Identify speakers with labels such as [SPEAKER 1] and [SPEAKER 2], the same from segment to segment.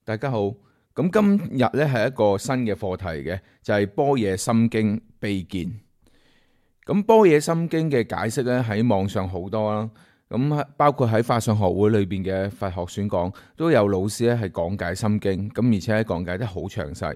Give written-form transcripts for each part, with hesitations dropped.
[SPEAKER 1] 大家好。咁今日咧係一個新嘅課題嘅，就係般若心經秘見。咁般若心經嘅解釋咧喺網上好多啦，咁包括喺法相學會裏邊嘅佛學選講都有老師咧係講解心經，咁而且係講解得好詳細。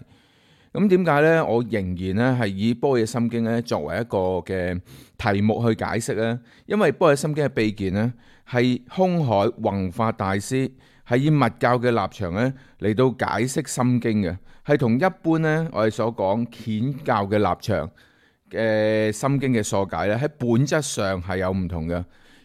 [SPEAKER 1] 咁點解咧？我仍然咧係以般若心經咧作為一個嘅題目去解釋咧，因為般若心經嘅秘見咧係空海弘法大師係以密教嘅立場咧嚟到解釋心經嘅，係同一般咧我哋所講顯教嘅立場嘅心經嘅疏解咧喺本質上係有唔同嘅。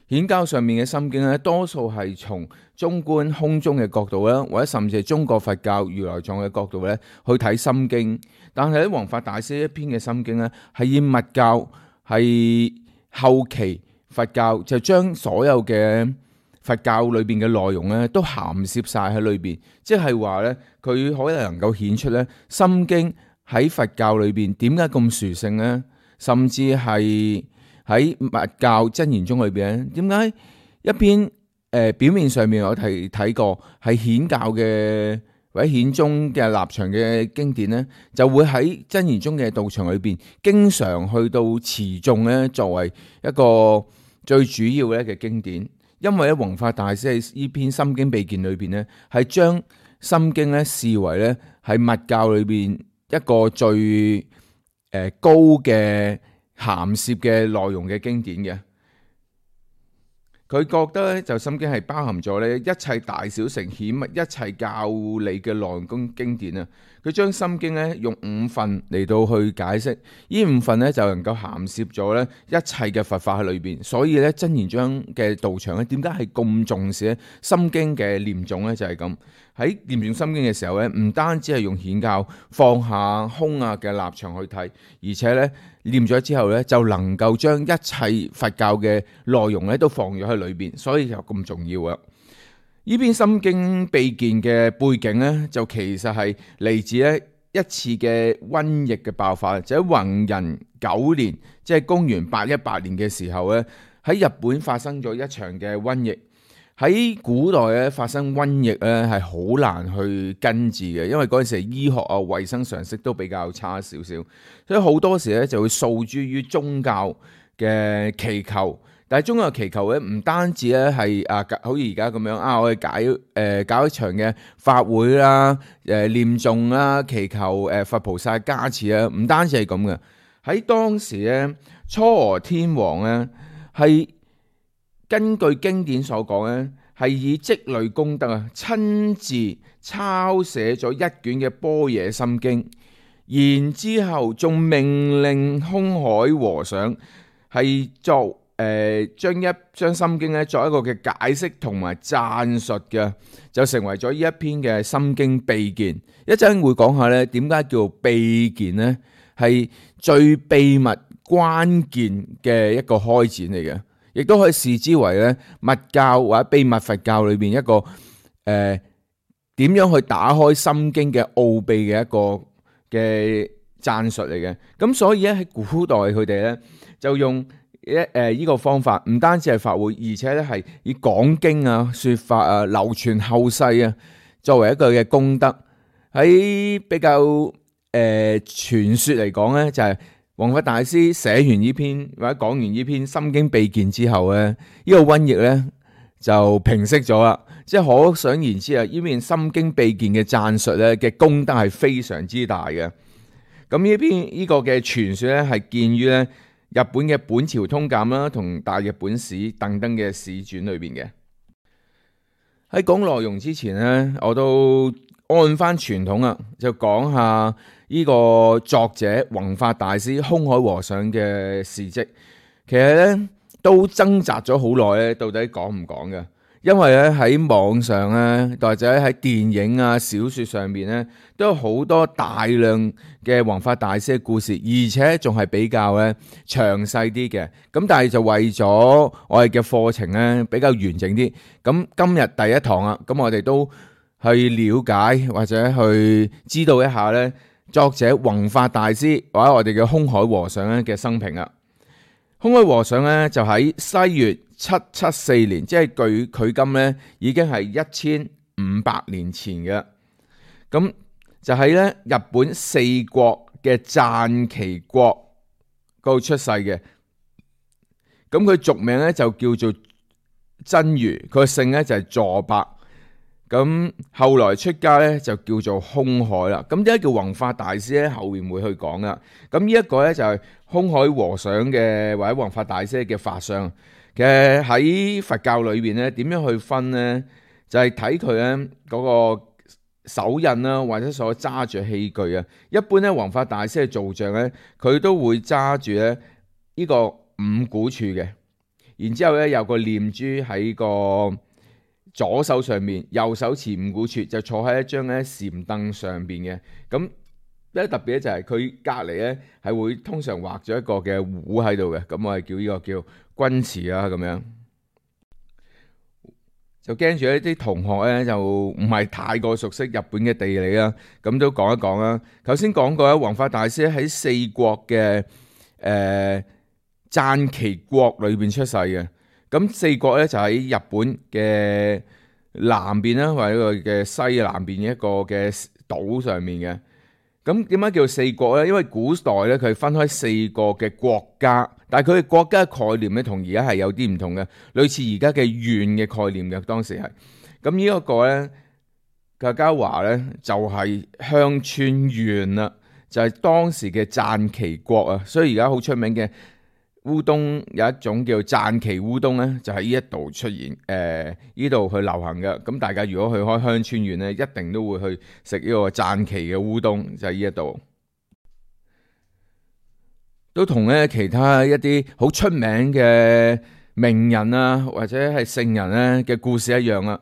[SPEAKER 1] 顯教上面嘅心經咧，多數係從中觀空宗嘅角度啦，或者甚至係中國佛教如來藏嘅角度咧去睇心經。但係喺弘法大師一篇嘅心經咧，係以密教係後期佛教就將所有嘅佛教裏邊嘅內容咧都涵攝晒喺裏邊，即係話咧佢可能夠顯出咧心經喺佛教裏邊點解咁殊勝咧，甚至係喺密教真言宗裏邊，點解一篇表面上面我睇過係顯教嘅或者顯宗嘅立場嘅經典呢，就會喺真言宗嘅道場裏邊經常去到持誦咧，作為一個最主要咧嘅經典。因為咧弘法大師喺呢篇心經秘見裏邊呢，係將心經咧視為咧係密教裏邊一個最高嘅涵攝嘅內容嘅經典嘅。佢覺得咧就心經係包含咗咧一切大小乘顯密一切教理嘅內容經典啊。佢將心經咧用五分嚟到去解釋，呢五分咧就能夠涵攝咗咧一切嘅佛法喺裏邊。所以咧真言宗嘅道場咧，點解係咁重視咧心經嘅念誦咧？就係咁，喺念誦心經嘅時候咧，唔單止係用顯教放下空嘅立場去睇，而且咧念咗之後咧就能夠將一切佛教嘅內容咧都放咗喺裏邊，所以就咁重要啊！呢篇心經秘見嘅背景咧，就其實係嚟自咧一次嘅瘟疫嘅爆發，就喺弘仁9年，即係公元818年嘅時候咧，喺日本發生咗一場嘅瘟疫。喺古代咧發生瘟疫咧係好難去根治嘅，因為嗰陣時醫學啊、衛生常識都比較差少少，所以好多時咧就會訴諸於宗教嘅祈求。但係宗教祈求咧，唔單止咧係好似而家咁樣我哋搞一場嘅法會啦、念誦啦、祈求佛菩薩加持啊，唔單止係咁嘅。喺當時咧，嵯峨天皇咧係根據經典所講咧，係以積累功德親自抄寫咗一卷嘅般若心經，然之後仲命令空海和尚係作將心經咧作一個嘅解釋同埋讚述嘅，就成為咗呢一篇嘅心經秘見。一陣會講下咧，點解叫秘見呢？係最秘密關鍵嘅一個開展嚟嘅，亦都可以視之為咧密教或者秘密佛教裏邊一個點樣去打開心經嘅奧秘嘅一個嘅讚述嚟嘅。咁所以咧喺古代佢哋咧就用呢個方法，唔單止係法會，而且咧係以講經啊、說法啊、流傳後世啊，作為一個嘅功德。喺比較傳說嚟講咧，就係弘法大師寫完呢篇或者講完呢篇心經秘見之後咧，呢個瘟疫咧就平息咗啦。即係可想而知啊，呢篇心經秘見嘅讚述咧嘅功德係非常之大嘅。咁呢個嘅傳說咧係見於咧日本嘅本朝通鑑啦，同大日本史等等嘅史傳裏邊嘅。喺講內容之前呢，我都按翻傳統啊，就講下呢個作者弘法大師空海和尚嘅事蹟。其實咧都掙扎咗好耐咧，到底講唔講嘅？因為咧喺網上咧，或者喺電影啊、小說上面咧，都有好多大量嘅弘法大師嘅故事，而且仲係比較咧詳細啲嘅。咁但係就為咗我哋嘅課程咧比較完整啲，咁今日第一堂啊，咁我哋都去了解或者去知道一下咧作者弘法大師或者我哋嘅空海和尚咧嘅生平啊。空海和尚咧就喺西元774年，即係距今咧已經係1500年前嘅。咁就喺咧日本四國嘅讚岐國嗰度出世嘅。咁佢俗名咧就叫做真如，佢個姓咧就係佐伯。咁後來出家咧就叫做空海啦。咁點解叫弘法大師咧？後面會去講啦。咁呢一個咧就係空海和尚嘅或者弘法大師嘅法相。其實喺佛教裏邊咧，點樣去分咧？就係睇佢咧嗰個手印啦，或者所揸住器具啊。一般咧弘法大師嘅造像咧，佢都會揸住咧呢個五股柱嘅，然之後咧有個念珠喺個左手上面，右手持五股柱，就坐喺一張咧禪凳上邊嘅。咁咧特別咧就係佢隔離咧係會通常畫咗一個嘅壺喺度嘅。咁我係叫呢個叫君瓷啦咁樣。就驚住一啲同學咧就唔係太過熟悉日本嘅地理啦，咁都講一講啦。頭先講過咧，弘法大師喺四國嘅讚岐國裏邊出世嘅。咁四國咧就喺日本嘅南邊啦，或者佢嘅西南邊一個嘅島上面嘅。咁點解叫四國咧？因為古代咧佢分開四個嘅國家，但係佢嘅國家嘅概念咧同而家係有啲唔同嘅，類似而家嘅縣嘅概念嘅。當時係咁呢一個咧，客家話咧就係鄉村縣啦，就係當時嘅讚岐國啊。所以而家好出名嘅烏冬有一種叫讚岐烏冬咧，就喺呢一度出現，呢度去流行嘅。咁大家如果去開鄉村縣咧，一定都會去食呢個讚岐嘅烏冬，就喺呢一度。都同咧其他一啲好出名嘅名人啊，或者係聖人咧嘅故事一樣啊。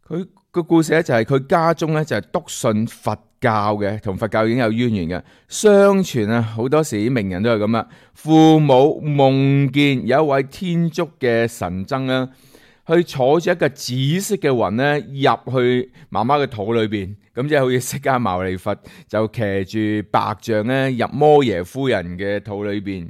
[SPEAKER 1] 佢個故事咧就係佢家中咧就係篤信佛教嘅，同佛教已經有淵源嘅。相傳啊，好多時啲名人都係咁啦。父母夢見有一位天竺嘅神僧啦，去坐住一個紫色嘅雲咧入去媽媽嘅肚裏邊，咁即係好似釋迦牟尼佛就騎住白象咧入摩耶夫人嘅肚裏邊。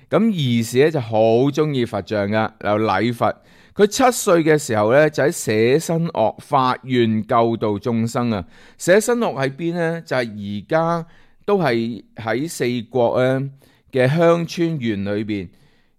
[SPEAKER 1] 咁兒時咧就好中意佛像噶，又禮佛。佢7歲嘅時候咧，就喺捨身岳發願救度眾生啊！捨身岳喺邊咧？就係而家都係喺四國咧嘅鄉村縣裏邊。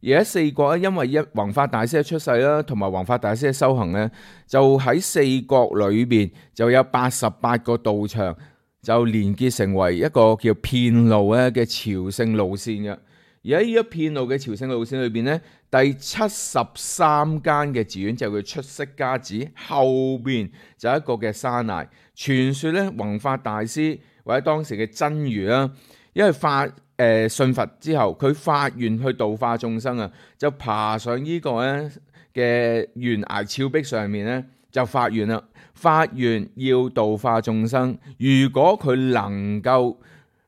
[SPEAKER 1] 而喺四國咧，因為弘法大師嘅出世啦，同埋弘法大師嘅修行咧，就喺四國裏邊就有88個道場，就連結成為一個叫遍路咧嘅朝聖路線嘅。而喺呢一片路嘅朝聖路線裏邊咧，第73間嘅寺院就叫出釋迦寺，後邊就有一個嘅山崖。傳說咧，弘法大師或者當時嘅真如啦，因為信佛之後，佢發願去度化眾生啊，就爬上呢個咧嘅懸崖峭壁上面咧，就發願啦，發願要度化眾生。如果佢能夠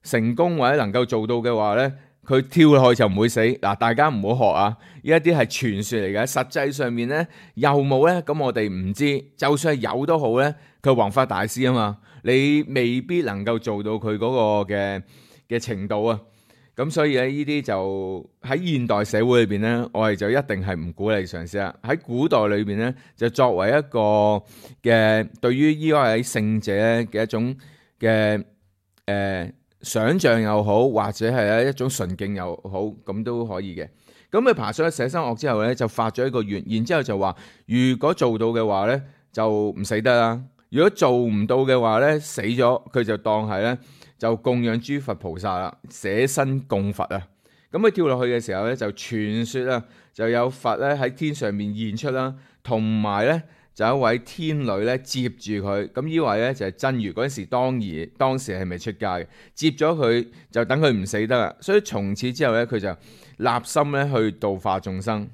[SPEAKER 1] 成功或者能夠做到嘅話咧，佢跳落去就唔會死。嗱，大家唔好學啊！呢一啲係傳說嚟嘅，實際上面咧有冇咧？咁我哋唔知。就算係有都好咧，佢弘法大師啊嘛，你未必能夠做到佢嗰個嘅程度啊。咁所以咧，呢啲就喺現代社會裏邊咧，我哋就一定係唔鼓勵嘗試啦。喺古代裏邊咧，就作為一個嘅對於呢位聖者嘅一種嘅想像又好，或者係一種純敬又好，咁都可以嘅。咁佢爬上去捨身岳之後咧，就發咗一個願，然之後就話：如果做到嘅話咧，就唔死得啦；如果做唔到嘅話咧，死咗佢就當係咧就供養諸佛菩薩啦，捨身供佛啊！咁佢跳落去嘅時候咧，就傳說啊，就有佛咧喺天上面現出啦，同埋咧就有一位天女咧接住佢。咁呢位咧就係真如，嗰陣時當時係未出家嘅，接咗佢就等佢唔死得啦。所以從此之後咧，佢就立心咧去度化眾生。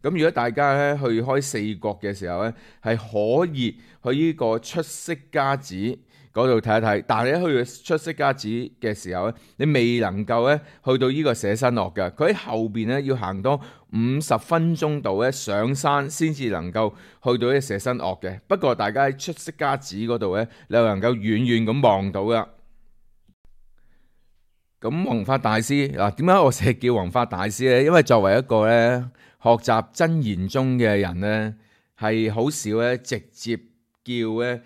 [SPEAKER 1] 咁如果大家咧去開四國嘅時候咧，係可以去呢個出釋迦寺嗰度睇一睇，但係你去出釋迦寺嘅時候咧，你未能夠咧去到呢個捨身岳嘅，佢喺後邊咧要行多50分鐘度咧上山先至能夠去到呢個捨身岳嘅。不過大家喺出釋迦寺嗰度咧，你又能夠遠遠咁望到噶。咁弘法大師嗱，點解我成日叫弘法大師咧？因為作為一個咧學習真言宗嘅人咧，係好少咧直接叫咧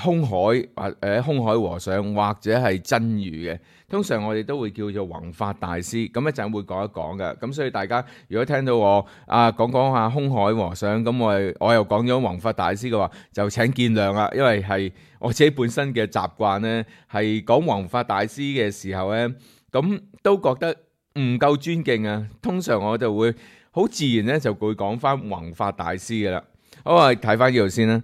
[SPEAKER 1] 空海空海和尚或者係真如嘅。通常我哋都會叫做弘法大師，咁一陣會講一講嘅。咁所以大家如果聽到我講下空海和尚，咁我又講咗弘法大師嘅話，就請見諒啦，因為係我自己本身嘅習慣呢，係講弘法大師嘅時候呢，咁都覺得唔夠尊敬啊。通常我就會好自然咧，就會講翻弘法大師嘅啦。好，我哋睇翻呢度先啦。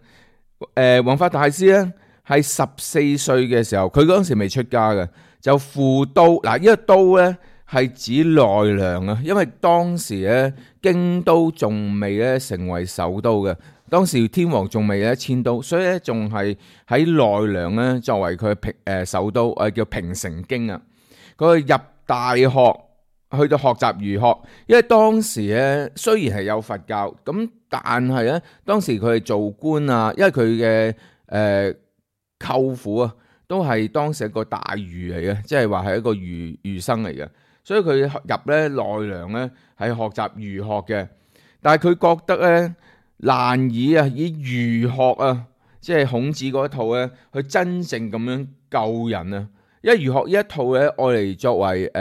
[SPEAKER 1] 弘法大師咧係14歲嘅時候，佢嗰陣時未出家嘅。就赴都嗱，呢個都咧係指奈良啊，因為當時咧京都仲未咧成為首都嘅，當時天皇仲未咧遷都，所以咧仲係喺奈良咧作為佢首都，叫平城京啊。佢入大學去到學習儒學，因為當時咧雖然係有佛教，咁但係咧當時佢係做官啊，因為佢嘅舅父啊。都係當時一個大儒嚟嘅，即係話係一個儒生嚟嘅，所以佢入咧奈良咧係學習儒學嘅。但係佢覺得咧難以儒學啊，即係孔子嗰套咧，去真正咁樣救人啊。因為儒學呢一套咧，愛嚟作為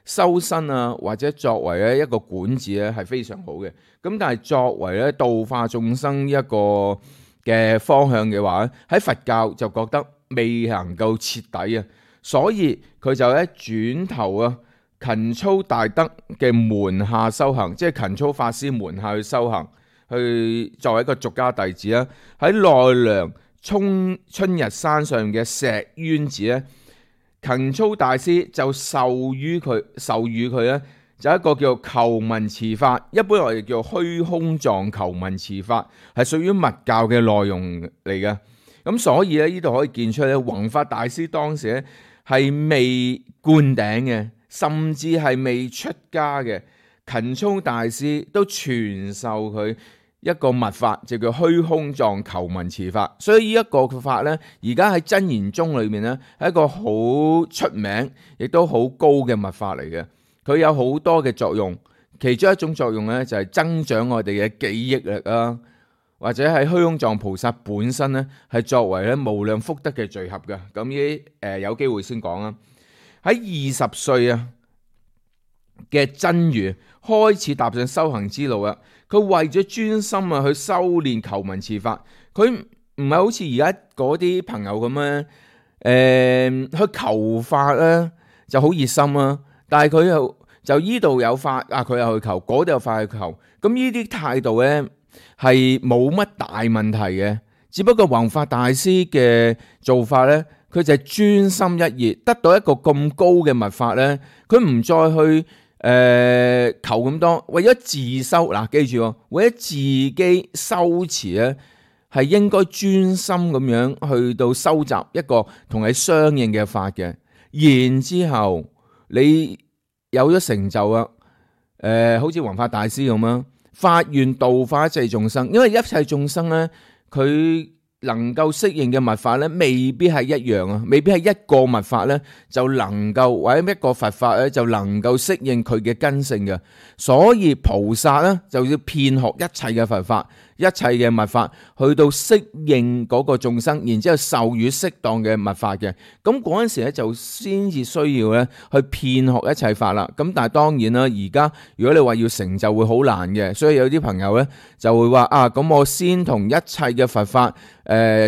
[SPEAKER 1] 修身啊，或者作為咧一個管治咧係非常好嘅。咁但係作為咧度化眾生一個嘅方向嘅話咧，喺佛教就覺得未能夠徹底啊，所以佢就咧轉頭啊勤操大德嘅門下修行，即係勤操法師門下去修行，去作為一個俗家弟子啦。喺奈良春日山上嘅石淵寺咧，勤操大師就授予佢咧就一個叫求文辭法，一般我哋叫虛空藏求文辭法，係屬於密教嘅內容嚟嘅。咁所以咧，呢度可以見出咧，弘法大師當時咧係未灌頂嘅，甚至係未出家嘅。勤操大師都傳授佢一個密法，就叫虛空藏求文辭法。所以呢一個法咧，而家喺真言宗裏面咧，係一個好出名，亦都好高嘅密法嚟嘅。佢有好多嘅作用，其中一種作用咧就係增長我哋嘅記憶力啊。或者係虛空藏菩薩本身咧，係作為咧無量福德嘅聚合嘅。咁呢有機會先講啦。喺20歲啊嘅真如開始踏上修行之路啊，佢為咗專心啊去修煉求文辭法，佢唔係好似而家嗰啲朋友咁咧，去求法咧就好熱心啊，但係佢就依度有法啊，佢又去求，嗰度有法去求，咁呢啲態度咧係冇乜大問題嘅，只不過弘法大師嘅做法呢，佢就係專心一意，得到一個咁高嘅密法呢，佢唔再去求咁多，為咗自修嗱，記住，為咗自己修持呢，係應該專心咁樣去到收集一個同你相應嘅法嘅，然之後你有咗成就啊，好似弘法大師咁啊。發願度化一切眾生，因為一切眾生咧，佢能夠適應嘅密法咧，未必係一樣啊，未必係一個密法咧就能夠，或者一個佛法咧就能夠適應佢嘅根性嘅。所以菩薩咧就要遍學一切嘅佛法，一切嘅密法，去到適應嗰個眾生，然之後授予適當嘅密法嘅。咁嗰陣時咧就先至需要咧去遍學一切法啦。咁但係當然啦，而家如果你話要成就會好難嘅，所以有啲朋友咧就會話啊，咁我先同一切嘅佛法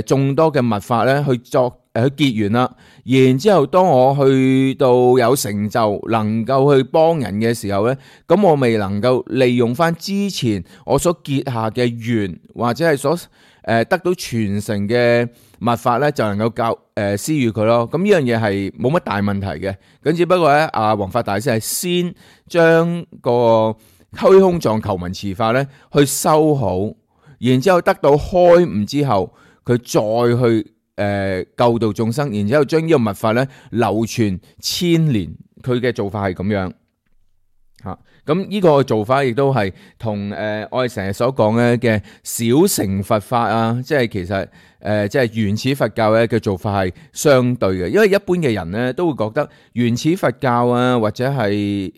[SPEAKER 1] 眾多嘅密法咧去結緣啦，然之後當我去到有成就，能夠去幫人嘅時候咧，咁我未能夠利用翻之前我所結下嘅緣，或者係所得到傳承嘅密法咧，就能夠施予佢咯。咁呢樣嘢係冇乜大問題嘅。咁只不過咧，弘法大師係先將個虛空藏求文辭法咧去修好，然之後得到開悟之後，佢再去救度眾生，然之後將呢個密法咧流傳千年，佢嘅做法係咁樣吓。咁呢個做法亦都係同我哋成日所講咧嘅小乘佛法啊，即係其實即係原始佛教咧嘅做法係相對嘅。因為一般嘅人咧都會覺得原始佛教啊，或者係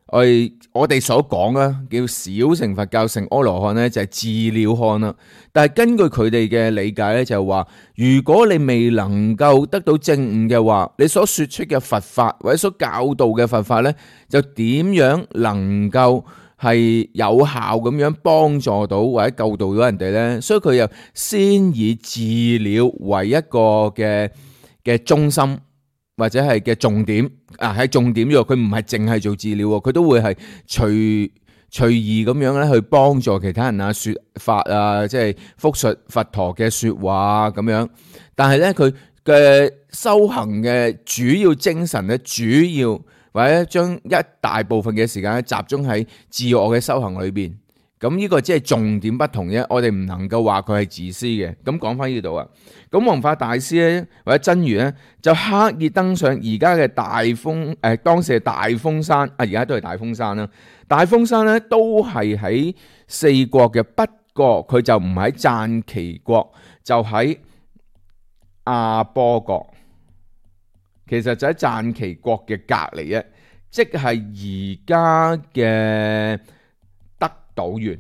[SPEAKER 1] 我哋所講啦，叫小乘佛教成阿羅漢咧，就係自了漢啦。但係根據佢哋嘅理解咧，就係話，如果你未能夠得到正悟嘅話，你所說出嘅佛法或者所教導嘅佛法咧，就點樣能夠係有效咁樣幫助到或者救度到人哋咧？所以佢又先以自了為一個嘅中心。或者係嘅重點係重點喎，佢唔係淨係做治療喎，佢都會係隨意咁樣咧去幫助其他人啊，說法啊，即係複述佛陀嘅說話咁樣。但係咧佢嘅修行嘅主要精神咧，主要或者將一大部分嘅時間咧集中喺自我嘅修行裏邊。咁呢個即係重點不同啫，我哋唔能夠話佢係自私嘅。咁講翻呢度啊，咁弘法大師咧或者真如咧就刻意登上而家嘅大風當時係大風山而家都係大風山啦。大風山咧都係喺四國嘅，不過佢就唔喺讚岐國，就喺亞波國。其實就喺讚岐國嘅隔離啫，即係而家嘅德島縣。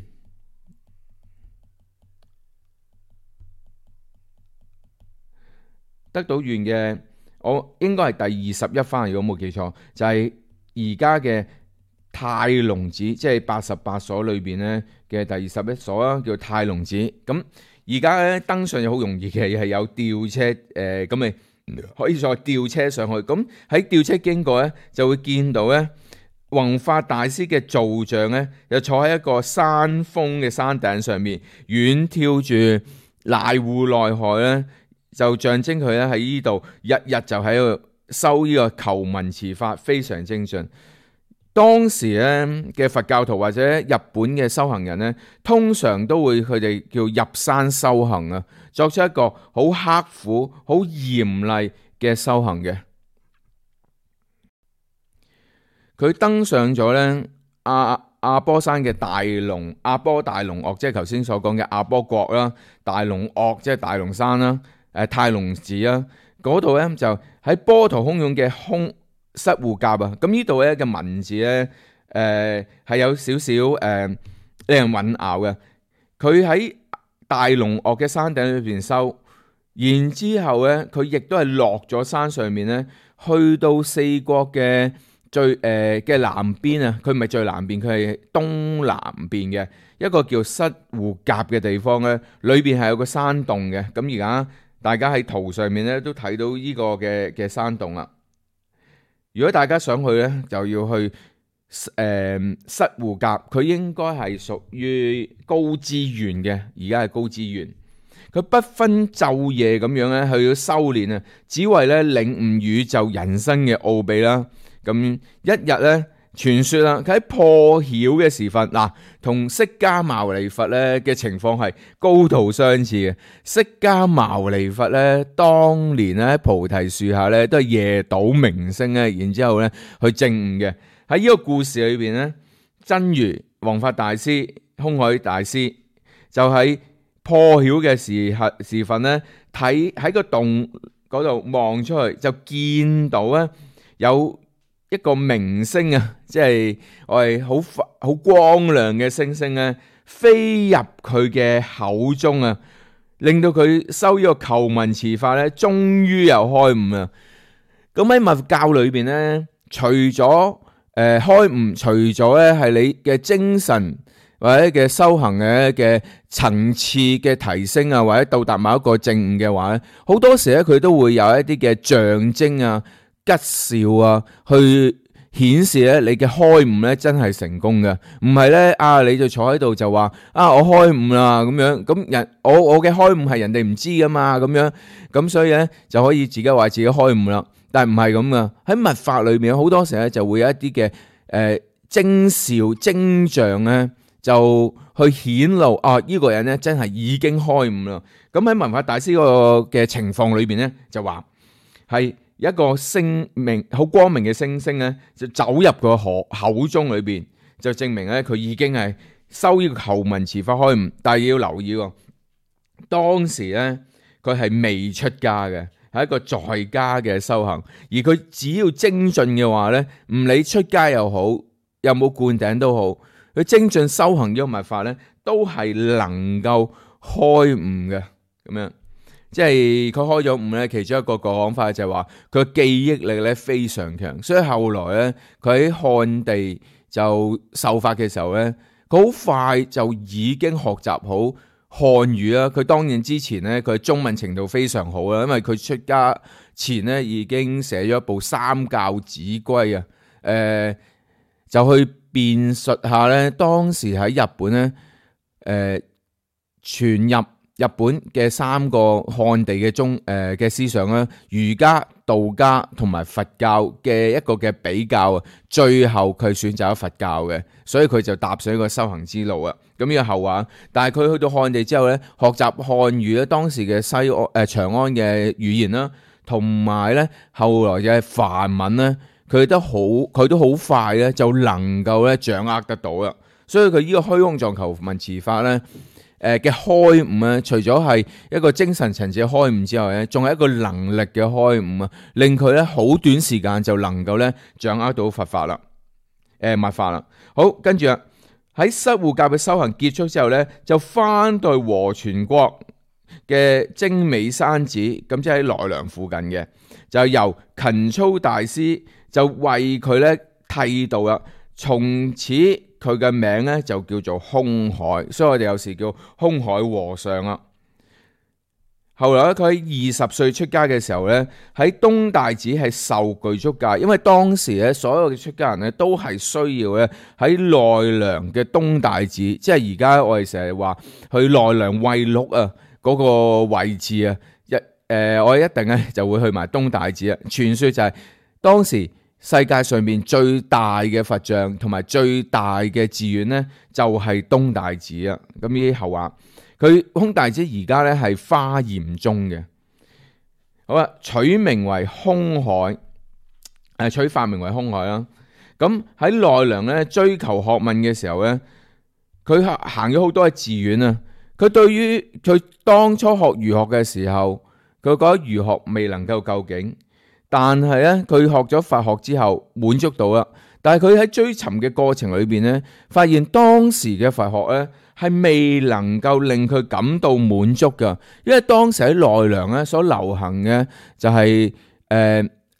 [SPEAKER 1] 德島縣嘅我應該係第21番，如果冇記錯，就係而家嘅太隆寺，即係88所裏邊咧嘅第21所啦，叫太隆寺。咁而家咧登上又好容易嘅，係有吊車咁咪可以再吊車上去。咁喺吊車經過咧，就會見到咧弘法大師嘅造像咧，就坐喺一個山峰嘅山頂上面，遠眺住瀨戶內海咧，就象徵佢咧喺呢度日日就喺度修呢個求聞持法，非常精進。當時咧嘅佛教徒或者日本嘅修行人咧，通常都會佢哋叫入山修行啊，作出一個好刻苦、好嚴厲嘅修行嘅。佢登上咗咧亞波山嘅亞波大龍岳，即係頭先所講嘅亞波國啦，大龍岳即係大龍山啦，太隆寺啦，嗰度咧就喺波濤洶湧嘅室戶甲啊。咁呢度咧嘅文字咧係有少少令人混淆嘅。佢喺大龍岳嘅山頂裏邊修，然之後咧佢亦都係落咗山上面咧，去到四國嘅最嘅南邊啊。佢唔係最南邊，佢係東南邊嘅一個叫室戶甲嘅地方咧，裏邊係有個山洞嘅。咁而家大家喺圖上面咧都睇到呢個嘅山洞啦。如果大家想去咧，就要去室戶甲，佢應該係屬於高知縣嘅，而家係高知縣。佢不分晝夜咁樣咧去修練啊，只為咧領悟宇宙人生嘅奧秘啦。咁一日咧，傳說啦，佢喺破曉嘅時分，同釋迦牟尼佛咧嘅情況係高度相似嘅。釋迦牟尼佛咧，當年咧喺菩提樹下咧，都係夜睹明星咧，然之後咧去證悟嘅。喺呢個故事裏邊咧，真如弘法大師、空海大師就喺破曉嘅時分咧，睇喺個洞嗰度望出去，就見到咧有一個明星啊，即係我係好光亮嘅星星咧，飛入佢嘅口中啊，令到佢修呢個求聞持法咧，終於又開悟啊！咁喺密教裏邊咧，除咗開悟，除咗咧係你嘅精神或者嘅修行嘅層次嘅提升啊，或者到達某一個證悟嘅話咧，好多時咧佢都會有一啲嘅象徵啊、吉兆啊，去顯示咧你嘅開悟咧真係成功嘅，唔係咧你就坐喺度就話我開悟啦咁樣，咁我嘅開悟係人哋唔知噶嘛，咁樣咁所以咧就可以自己話自己開悟啦。但係唔係咁噶，喺密法裏面好多時咧就會有一啲嘅徵兆徵象咧，就去顯露呢個人咧真係已經開悟啦。咁喺弘法大師個嘅情況裏邊咧，就話係一個星明好光明嘅星星咧，就走入個口中裏邊，就證明咧佢已經係修呢個求聞持法開悟。但係要留意喎，當時咧佢係未出家嘅。係一個在家嘅修行，而佢只要精進嘅話咧，唔理出家又好，有冇灌頂都好，佢精進修行呢個密法咧，都係能夠開悟嘅咁樣。即係佢開咗悟咧，其中一個講法就係話佢嘅記憶力咧非常強，所以後來咧佢喺漢地就受法嘅時候咧，佢好快就已經學習好漢語啦。佢當然之前咧佢中文程度非常好啦，因為佢出家前咧已經寫咗一部三教子規啊，就去辯述下咧當時喺日本咧傳入日本嘅三個漢地嘅嘅思想啦，儒家、道家同埋佛教嘅一個嘅比較啊，最後佢選擇咗佛教嘅，所以佢就踏上一個修行之路啊。咁呢個後話，但係佢去到漢地之後咧，學習漢語咧，當時嘅長安嘅語言啦，同埋咧後來嘅梵文咧，佢都好快咧就能夠咧掌握得到啦。所以佢呢個虛空藏求文持法咧，嘅開悟啊，除咗係一個精神層次嘅開悟之外咧，仲係一個能力嘅開悟啊，令佢咧好短時間就能夠咧掌握到佛法啦，密法啦。好，跟住啊喺失護教嘅修行結束之後咧，就翻到和傳國嘅精美山寺，咁即係喺奈良附近嘅，就由勤操大師就為佢咧剃度啦，從此佢嘅名咧就叫做空海，所以我哋有時叫空海和尚啦。後來咧，佢喺20歲出家嘅時候咧，喺東大寺係受具足戒，因為當時咧所有嘅出家人咧都係需要咧喺奈良嘅東大寺，即係而家我哋成日話去奈良惠祿啊嗰個位置啊，我一定咧就會去埋東大寺啊。傳說就係當時世界上面最大嘅佛像同埋最大嘅寺院咧，就係東大寺啊。咁呢啲後話，佢空大寺而家咧係華嚴宗嘅。好啦，取名為空海，取法名為空海啦。咁喺奈良咧追求學問嘅時候咧，佢行咗好多嘅寺院啊。佢對於佢當初學儒學嘅時候，佢覺得儒學未能夠究竟。但係咧，佢學咗佛學之後滿足到啦。但係佢喺追尋嘅過程裏邊咧，發現當時嘅佛學咧係未能夠令佢感到滿足噶。因為當時喺奈良咧所流行嘅就係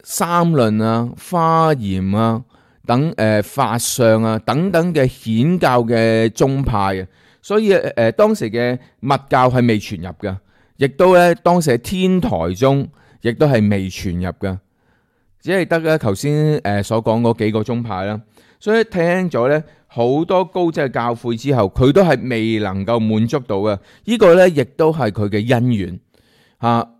[SPEAKER 1] 三論啊、華嚴啊等法相啊等等嘅顯教嘅宗派啊，所以當時嘅密教係未傳入噶，亦都咧當時喺天台宗亦都係未傳入噶。只係得咧頭先所講嗰幾個宗派啦，所以聽咗咧好多高質嘅教誨之後，佢都係未能夠滿足到嘅。呢個咧亦都係佢嘅因緣嚇。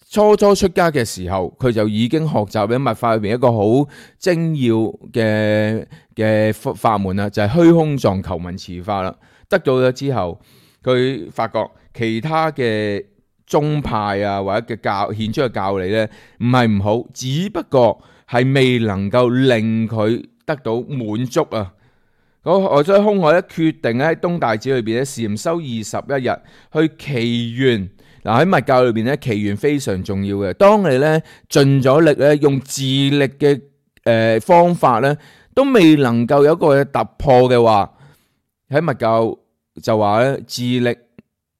[SPEAKER 1] 初出家嘅時候，佢就已經學習喺密法裏邊一個好精要嘅法門啦，就係虛空藏求文持法啦。得到咗之後，佢發覺其他嘅宗派啊，或者嘅顯出嘅教理咧，唔係唔好，只不過係未能夠令佢得到滿足啊。我所以空海咧決定喺東大寺裏邊咧禪修21日，去祈願。嗱，喺密教裏邊咧，祈願非常重要嘅。當你咧盡咗力咧，用自力嘅方法咧，都未能夠有一個突破嘅話，喺密教就話咧自力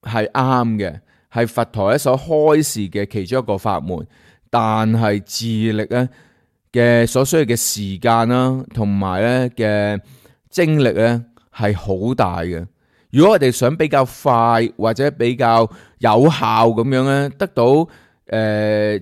[SPEAKER 1] 係啱嘅。係佛陀咧所開示嘅其中一個法門，但係自力咧嘅所需要嘅時間啦，同埋咧嘅精力咧係好大嘅。如果我哋想比較快或者比較有效咁樣咧得到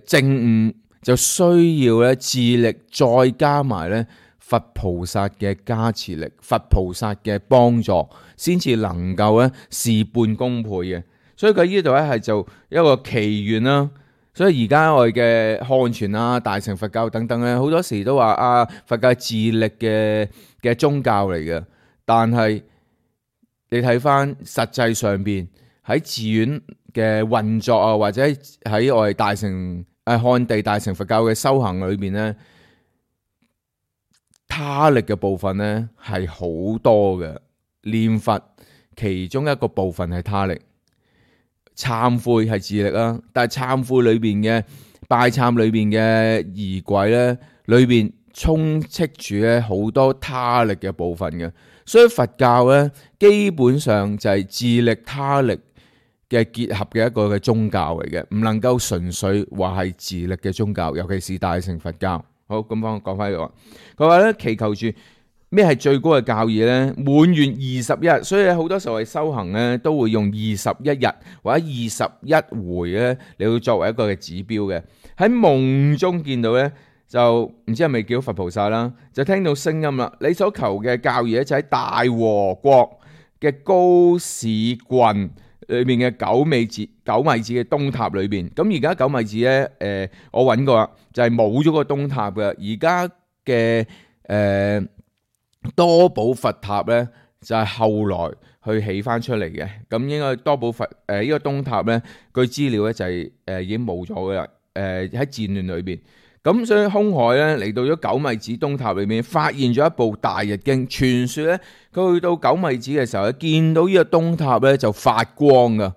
[SPEAKER 1] 證悟，就需要咧自力再加埋咧佛菩薩嘅加持力、佛菩薩嘅幫助，先至能夠咧事半功倍嘅。所以佢呢度咧係做一個祈願啦。所以而家我哋嘅漢傳啊、大乘佛教等等咧，好多時都話啊，佛教係自力嘅宗教嚟嘅。但係你睇翻實際上邊喺寺院嘅運作啊，或者喺我哋大乘漢地大乘佛教嘅修行裏邊咧，他力嘅部分咧係好多嘅。念佛其中一個部分係他力。懺悔係自力啦，但係懺悔裏邊嘅拜懺裏邊嘅儀軌咧，裏邊充斥住咧好多他力嘅部分嘅，所以佛教咧基本上就係自力他力嘅結合嘅一個嘅宗教嚟嘅，唔能夠純粹話係自力嘅宗教，尤其是大乘佛教。好，咁我講翻呢個，佢話咧祈求住咩係最高嘅教義咧？滿願21日，所以好多時候係修行咧都會用21日或者21回咧嚟到作為一個嘅指標嘅。喺夢中見到咧，就唔知係咪叫佛菩薩啦，就聽到聲音啦。你所求嘅教義咧就喺大和國嘅高市郡裏面嘅九米子嘅東塔裏邊。咁而家九米子咧，我揾過啦，就係冇咗個東塔嘅。而家嘅多寶佛塔咧，就係後來去起翻出嚟嘅。咁應該多寶佛呢個東塔咧，據資料咧就係已經冇咗嘅啦。喺戰亂裏邊。咁所以空海咧嚟到咗九米子東塔裏面，發現咗一部大日經。傳說咧，佢去到九米子嘅時候咧，見到呢個東塔咧就發光噶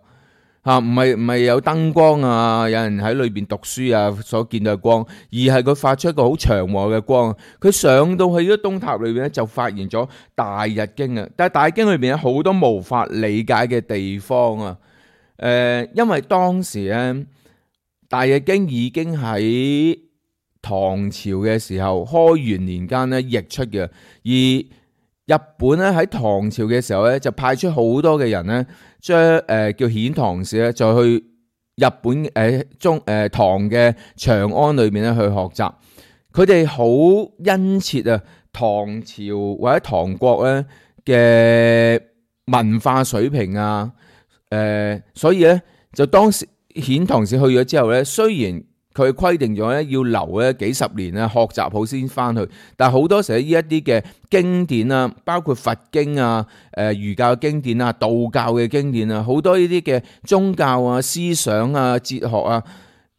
[SPEAKER 1] 嚇，唔係有燈光啊，有人喺裏邊讀書啊所見到嘅光，而係佢發出一個好祥和嘅光。佢上到去呢個東塔裏邊咧，就發現咗大日經啊。但係大日經裏邊有好多無法理解嘅地方啊。因為當時咧大日經已經喺唐朝嘅時候，開元年間咧譯出嘅，而日本咧喺唐朝嘅時候咧就派出好多嘅人咧，將叫遣唐使咧，就去日本唐嘅長安裏面咧去學習。佢哋好殷切啊，唐朝或者唐國咧嘅文化水平啊，所以咧就當時遣唐使去咗之後咧，雖然佢規定咗咧要留咧幾十年啊，學習好先翻去。但係好多時呢一啲嘅經典啊，包括佛經啊、儒教嘅經典啊、道教嘅經典啊，好多呢啲嘅宗教啊、思想啊、哲學啊，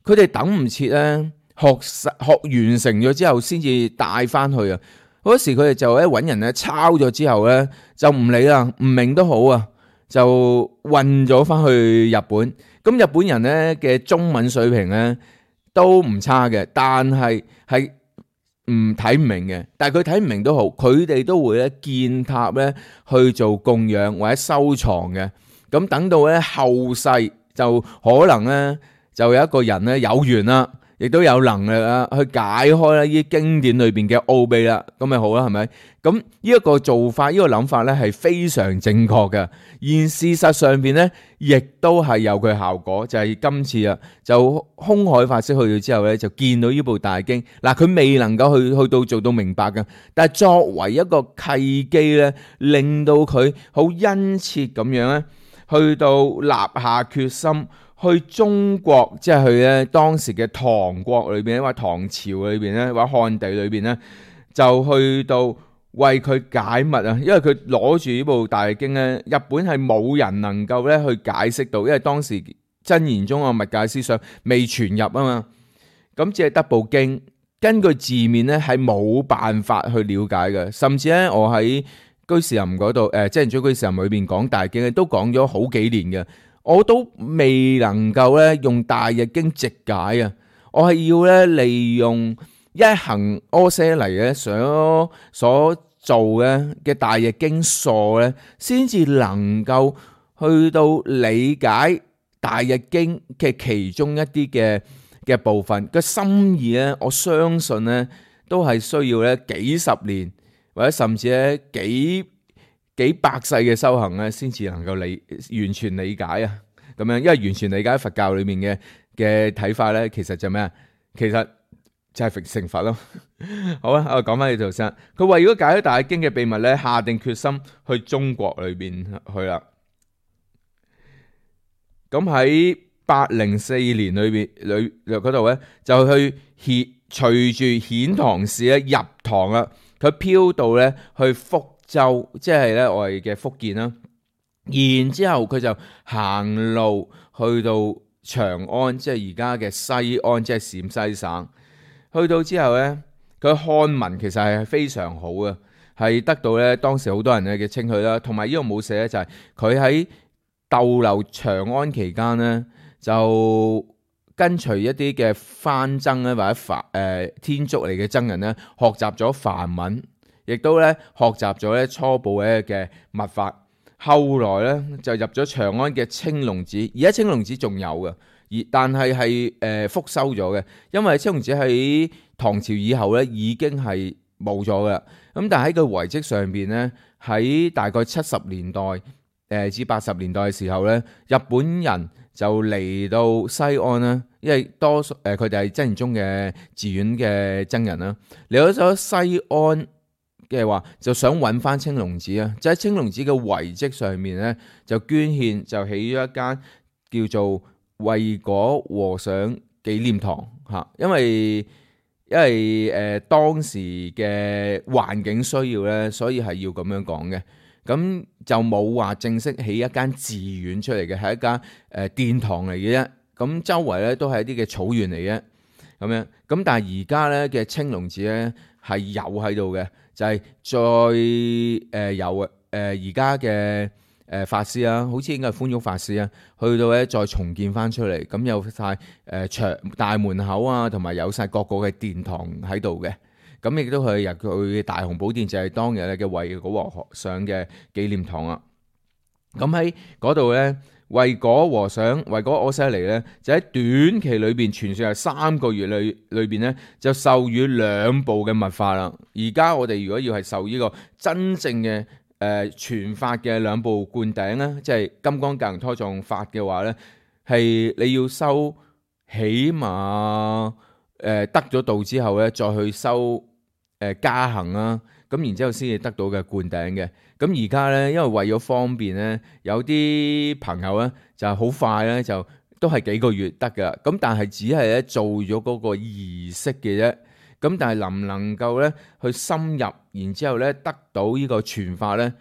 [SPEAKER 1] 佢哋等唔切咧學完成咗之後先至帶翻去啊。好多時佢哋就咧揾人咧抄咗之後咧就唔理啦，唔明都好啊，就運咗翻去日本。咁日本人咧嘅中文水平咧都唔差嘅，但係睇唔明嘅。但係佢睇唔明都好，佢哋都會咧建塔咧去做供養或者收藏嘅。咁等到咧後世就可能咧就有一個人咧有緣啦，亦都有能力啦去解開咧呢啲經典裏邊嘅奧秘啦，咁咪好啦，係咪？咁呢一個做法，呢個諗法咧係非常正確嘅。而事實上邊咧，亦都係有佢效果，就係今次啊，就空海法師去到之後咧，就見到呢部大經。嗱，佢未能夠去到做到明白嘅，但係作為一個契機咧，令到佢好殷切咁樣咧，去到立下決心。去中國，即係去咧當時嘅唐國裏邊，或者唐朝裏邊咧，或者漢地裏邊咧，就去到為佢解密啊！因為佢攞住呢部大經咧，日本係冇人能夠咧去解釋到，因為當時真言宗嘅密教思想未傳入啊嘛。咁只係得部經，根據字面咧係冇辦法去了解嘅。甚至咧，我喺居士林嗰度，即係居士林裏邊講大經咧，都講咗好幾年嘅。我都未能夠咧用大日經直解啊！我係要咧利用一行阿闍黎咧所做嘅大日經疏咧，先至能夠去到理解大日經嘅其中一啲嘅部分嘅心意咧。我相信咧都係需要咧幾十年或者甚至咧幾百世嘅修行咧，先至能夠完全理解啊！咁樣，因為完全理解佛教裏面嘅睇法咧，其實就咩啊？其實就係成佛咯。好啦，我講翻呢度先。佢為咗解開大經嘅秘密咧，下定決心去中國裏邊去啦。咁喺804年嗰度咧，就去隨住遣唐使咧入唐啦。佢飄到咧去福州，即係咧我哋嘅福建啦。然之後佢就行路去到長安，即係而家嘅西安，即係陝西省。去到之後咧，佢漢文其實係非常好嘅，係得到咧當時好多人嘅稱許啦。同埋呢個冇寫咧，就係佢喺逗留長安期間咧，就跟隨一啲嘅番僧咧，或者天竺嚟嘅僧人咧，學習咗梵文，亦都咧學習咗咧初步嘅密法。後來咧就入咗長安嘅青龍寺，而家青龍寺仲有嘅，但係復修咗嘅，因為青龍寺喺唐朝以後咧已經係冇咗嘅。咁但係喺個遺跡上邊咧，喺大概70年代至80年代嘅時候咧，日本人就嚟到西安啦，因為多數佢哋係真言宗嘅寺院嘅僧人啦，嚟咗西安嘅話就想揾翻青龍寺啊，就喺青龍寺嘅遺跡上面咧就捐獻，就起咗一間叫做慧果和尚紀念堂嚇，因為當時嘅環境需要咧，所以係要咁樣講嘅。咁就冇話正式起一間寺院出嚟嘅，係一間殿堂嚟嘅啫。咁周圍咧都係一啲嘅草原嚟嘅咁樣。咁但係而家咧嘅青龍寺咧係有喺度嘅，就係再有而家嘅法師啊，好似應該係寬旭法師啊，去到咧再重建翻出嚟，咁有晒長大門口啊，同埋有晒各個嘅殿堂喺度嘅。咁亦都係入佢大雄寶殿，就係當日咧嘅慧果和尚嘅紀念堂啊。咁喺嗰度咧，慧果和尚慧果阿闍黎咧，就喺短期裏邊傳說係3個月裏邊咧，就授予2部嘅密法啦。而家我哋如果要係受呢個真正嘅傳法嘅2部灌頂咧，即係金剛教同胎藏法嘅話咧，係你要修起碼得咗道之後咧，再去修加行啦，咁然之後先至得到嘅灌頂嘅。咁而家咧，因為為咗方便咧，有啲朋友咧就係好快咧，就都係幾個月得噶。咁但係只係咧做咗嗰個儀式嘅啫。咁但係能唔能夠咧去深入，然之後咧得到呢個傳法咧，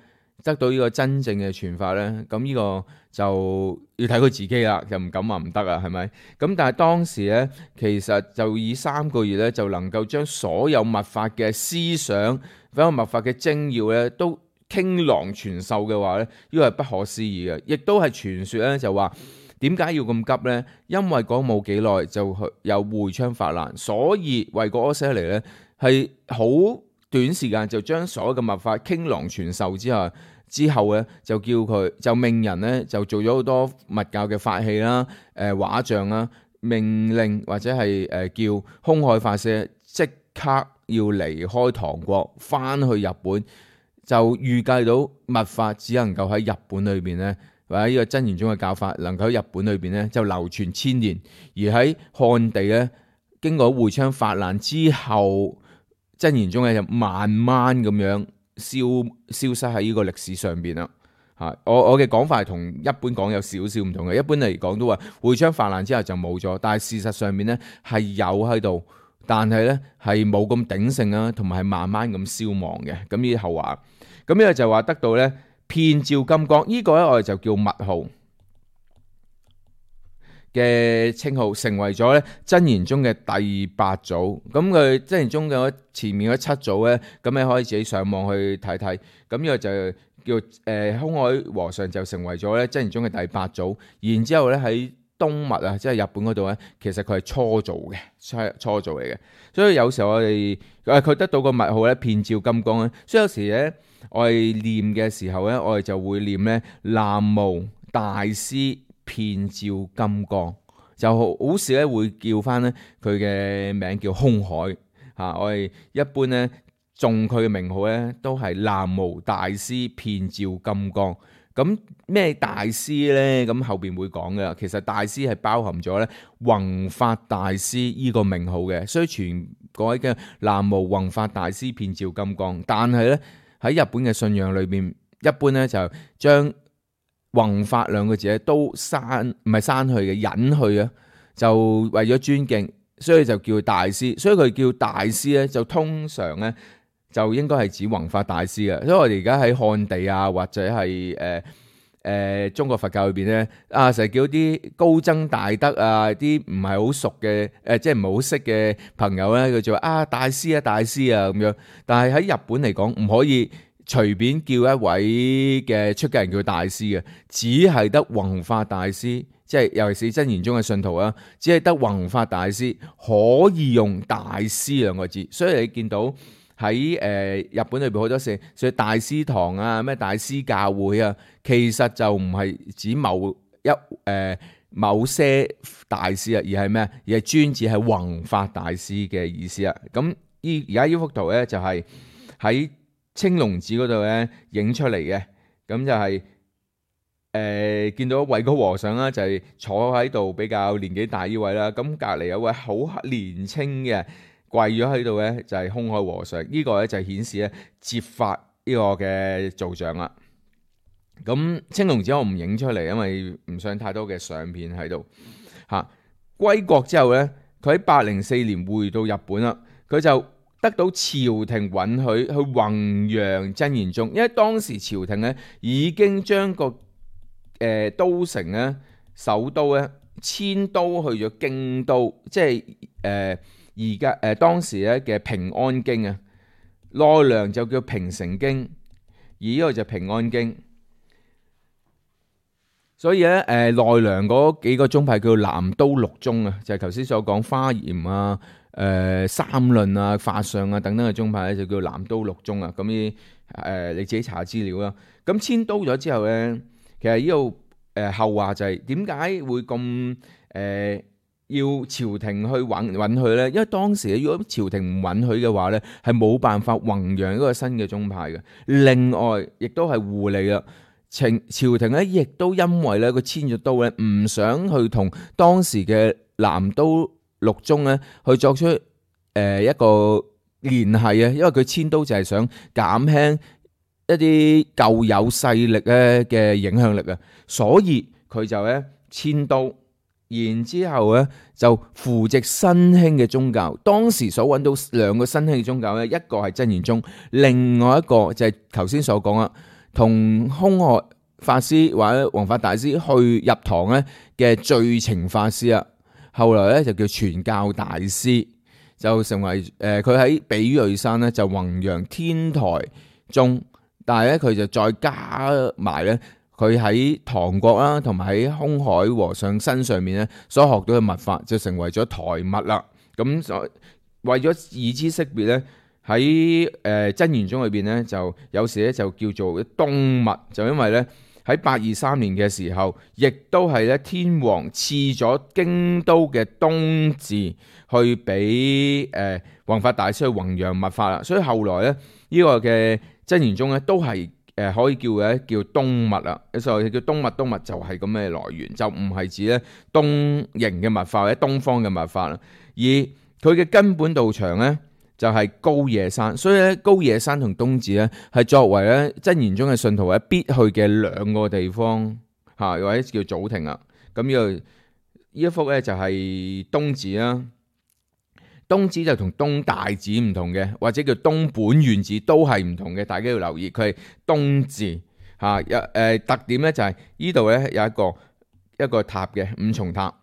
[SPEAKER 1] 得到呢個真正嘅傳法咧，咁呢個就要睇佢自己啦，就唔敢話唔得啊，係咪？咁但係當時咧，其實就以3個月咧，就能夠將所有密法嘅思想，所有密法嘅精要咧，都傾囊傳授嘅話咧，呢個係不可思議嘅，亦都係傳說咧，就話點解要咁急咧？因為講冇幾耐就有會昌法難，所以慧果阿闍黎咧係好短時間就將所有嘅密法傾囊傳授之後咧，就叫佢就命人咧就做咗好多密教嘅法器啦、畫像啦，命令或者係叫空海法師即刻要離開唐國，翻去日本，就預計到密法只能夠喺日本裏邊咧，或者呢個真言宗嘅教法能夠喺日本裏邊咧就流傳1000年，而喺漢地咧經過會昌法難之後，真言宗咧就慢慢咁樣消失喺呢個歷史上邊啦。我嘅講法係同一般講有少少唔同嘅。一般嚟講都話會昌法難之後就冇咗，但係事實上面咧係有喺度，但係咧係冇咁鼎盛啦，同埋係慢慢咁消亡嘅。咁呢啲後話，咁呢個就話得到咧遍照金剛，呢個咧我哋就叫密號嘅稱號，成為咗咧真言宗嘅第8組。咁佢真言宗嘅前面嗰7組咧，咁你可以自己上網去睇睇。咁呢個就叫空海和尚就成為咗咧真言宗嘅第8組。然之後咧喺東密啊，即係日本嗰度咧，其實佢係初組嘅，初組嚟嘅。所以有時候我哋佢得到個密號咧遍照金剛咧，所以有時咧我哋念嘅時候咧，我哋就會念咧南無大師遍照金剛，就好少咧會叫翻咧佢嘅名叫空海嚇。我哋一般咧誦佢嘅名號咧都係南無大師遍照金剛。咁咩大師咧？咁後邊會講嘅。其實大師係包含咗咧弘法大師依個名號嘅，所以全各位嘅南無弘法大師遍照金剛。但係咧喺日本嘅信仰裏邊，一般咧就將弘法2個字咧都唔係刪去嘅，隱去啊，就為咗尊敬，所以就叫大師。所以佢叫大師咧，就通常咧就應該係指弘法大師嘅。所以我哋而家喺漢地啊，或者係中國佛教裏邊咧，成日叫啲高僧大德啊，啲唔係好熟嘅即係唔係好識嘅朋友咧，佢就話大師啊大師啊咁樣。但係喺日本嚟講，唔可以隨便叫一位嘅出家人叫大師嘅，只係得弘法大師即係尤其是真言宗嘅信徒啊，只係得弘法大師可以用大師兩個字，所以你見到喺日本裏邊好多時，所以大師堂啊、咩大師教會啊，其實就唔係指某些大師啊，而係咩？而係專指係弘法大師嘅意思啊。咁而家呢幅圖咧就係喺青龍寺嗰度咧影出嚟嘅，咁就係見到慧高和尚啦，就係坐喺度比較年紀大呢位啦。咁隔離有位好年青嘅跪咗喺度咧，就係空海和尚。呢個咧就係顯示咧接法呢個嘅造像啦。咁青龍寺我唔影出嚟，因為唔想太多嘅相片喺度嚇。歸國之後咧，佢喺804年回到日本啦，佢就得到朝廷允許去弘揚真言宗，因為當時朝廷咧已經將個都城咧首都咧遷都去咗京都，即係而家當時咧嘅平安京啊，奈良就叫平城京，而呢個就平安京。所以咧，奈良嗰幾個宗派叫南都六宗啊，就係頭先所講華嚴啊、三論啊、法相啊等等嘅宗派咧，就叫南都六宗啊。咁你自己查資料啦。咁遷都咗之後咧，其實呢度後話就係點解會咁要朝廷去允許咧？因為當時如果朝廷唔允許嘅話咧，係冇辦法弘揚一個新嘅宗派嘅。另外，亦都係互利啦。朝廷咧，亦都因為咧佢遷咗都咧，唔想去同當時嘅南都六宗咧去作出一個聯繫啊，因為佢遷都就係想減輕一啲舊有勢力咧嘅影響力啊，所以佢就咧遷都，然之後咧就扶植新興嘅宗教。當時所揾到兩個新興嘅宗教咧，一個係真言宗，另外一個就係頭先所講啦。同空海法師或者弘法大師去入堂咧嘅最澄法師啊，後來咧就叫傳教大師，就成為佢喺比叡山咧就弘揚天台宗，但係咧佢就再加埋咧佢喺唐國啦，同埋喺空海和尚身上面咧所學到嘅密法，就成為咗台密啦。咁所為咗以知識別咧。喺真言宗裏邊咧，就有時咧就叫做東密，就因為咧喺823年嘅時候，亦都係咧天皇賜咗京都嘅東寺去俾弘法大師去弘揚密法啦，所以後來咧呢個嘅真言宗咧都係可以叫叫東密啦，所以叫東密就係咁嘅來源，就唔係指咧東瀛嘅密法或者東方嘅密法啦，而佢嘅根本道場咧。就係高野山，所以咧高野山同東寺咧係作為咧真言宗嘅信徒咧必去嘅兩個地方嚇，或者叫祖庭啊。咁呢一幅咧就係東寺啦，東寺就同東大寺唔同嘅，或者叫東本願寺都係唔同嘅，大家要留意佢係東寺嚇。特點咧就係呢度咧有一個塔嘅五重塔。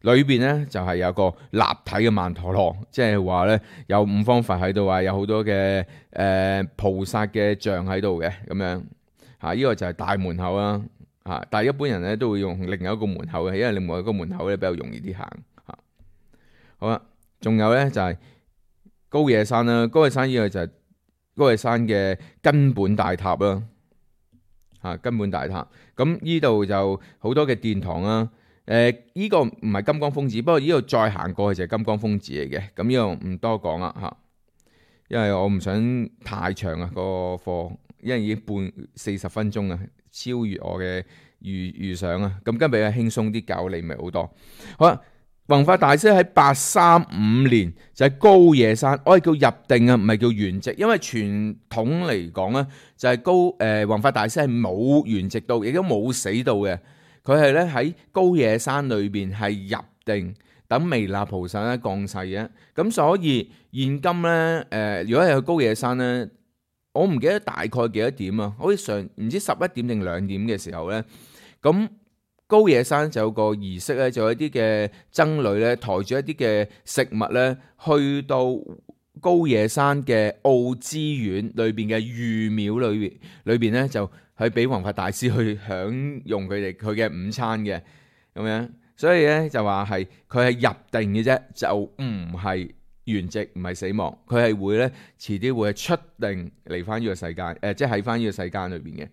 [SPEAKER 1] 裏邊咧就係有個立體嘅曼陀羅，即係話咧有五方佛喺度啊，有好多嘅菩薩嘅像喺度嘅咁樣嚇。呢個就係大門口啦嚇，但係一般人咧都會用另外一個門口嘅，因為另外一個門口咧比較容易啲行嚇。好啦，仲有咧就係高野山啦，高野山呢個就係高野山嘅根本大塔啦嚇，根本大塔。咁呢度就好多嘅殿堂啦。呢個唔係金剛峰寺，不過呢度再行過去就係金剛峰寺嚟嘅。咁呢度唔多講啦嚇，因為我唔想太長啊個課，因為已經40分鐘啊，超越我嘅預想啊。咁今日比較輕鬆啲教你咪好多。好啦，弘法大師喺835年就喺高野山，我係叫入定啊，唔係叫圓寂，因為傳統嚟講咧就係弘法大師係冇圓寂到，亦都冇死到嘅。佢係咧喺高野山裏邊係入定，等彌勒菩薩咧降世嘅。咁所以現今咧如果係去高野山咧，我唔記得大概幾多點啊？好似唔知11點定2點嘅時候咧，咁高野山就有個儀式咧，就有一啲嘅僧侶咧抬住一啲嘅食物咧，去到高野山嘅奧之院裏邊嘅御廟裏邊咧就。去俾弘法大師去享用佢嘅午餐嘅，咁咁樣。所以咧就話係佢係入定嘅啫，就唔係圓寂，唔係死亡。佢係會咧遲啲會係出定嚟翻呢個世界，即係喺翻呢個世界裏邊嘅。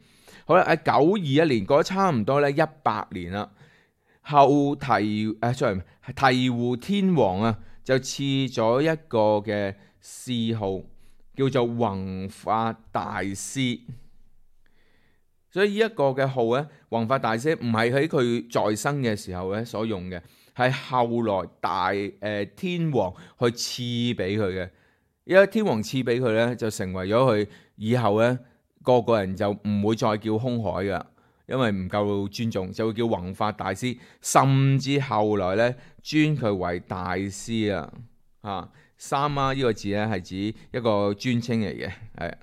[SPEAKER 1] 好啦，喺921年過咗差唔多咧100年啦，後醍醐天皇啊就賜咗一個嘅諡號，叫做弘法大師。所以呢一個嘅號咧，弘法大師唔係喺佢在生嘅時候咧所用嘅，係後來天皇去賜俾佢嘅。因為天皇賜俾佢咧，就成為咗佢以後咧個人就唔會再叫空海噶，因為唔夠尊重，就會叫弘法大師。甚至後來咧尊佢為大師啊，三媽呢個字咧係指一個尊稱嚟嘅，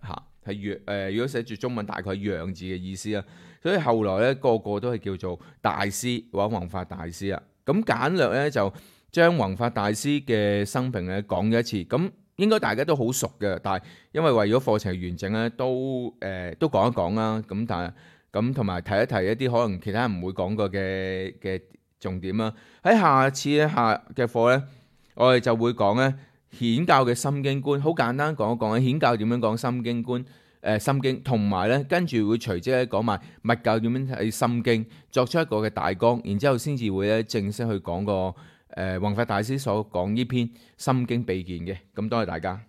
[SPEAKER 1] 係如果寫住中文大概係讓字嘅意思啊。所以後來咧個都係叫做大師或者弘法大師啊。咁簡略咧就將弘法大師嘅生平咧講咗一次。咁應該大家都好熟嘅，但係因為為咗課程完整咧，都講一講啦。咁但係咁同埋提一提一啲可能其他人唔會講過嘅重點啦。喺下次嘅課咧，我哋就會講咧顯教嘅心經觀，好簡單講一講顯教點樣講心經觀，心經，同埋咧跟住會隨即咧講埋密教點樣睇心經，作出一個嘅大綱，然之後先至會咧正式去講個弘法大師所講呢篇心經秘見嘅。咁多謝大家。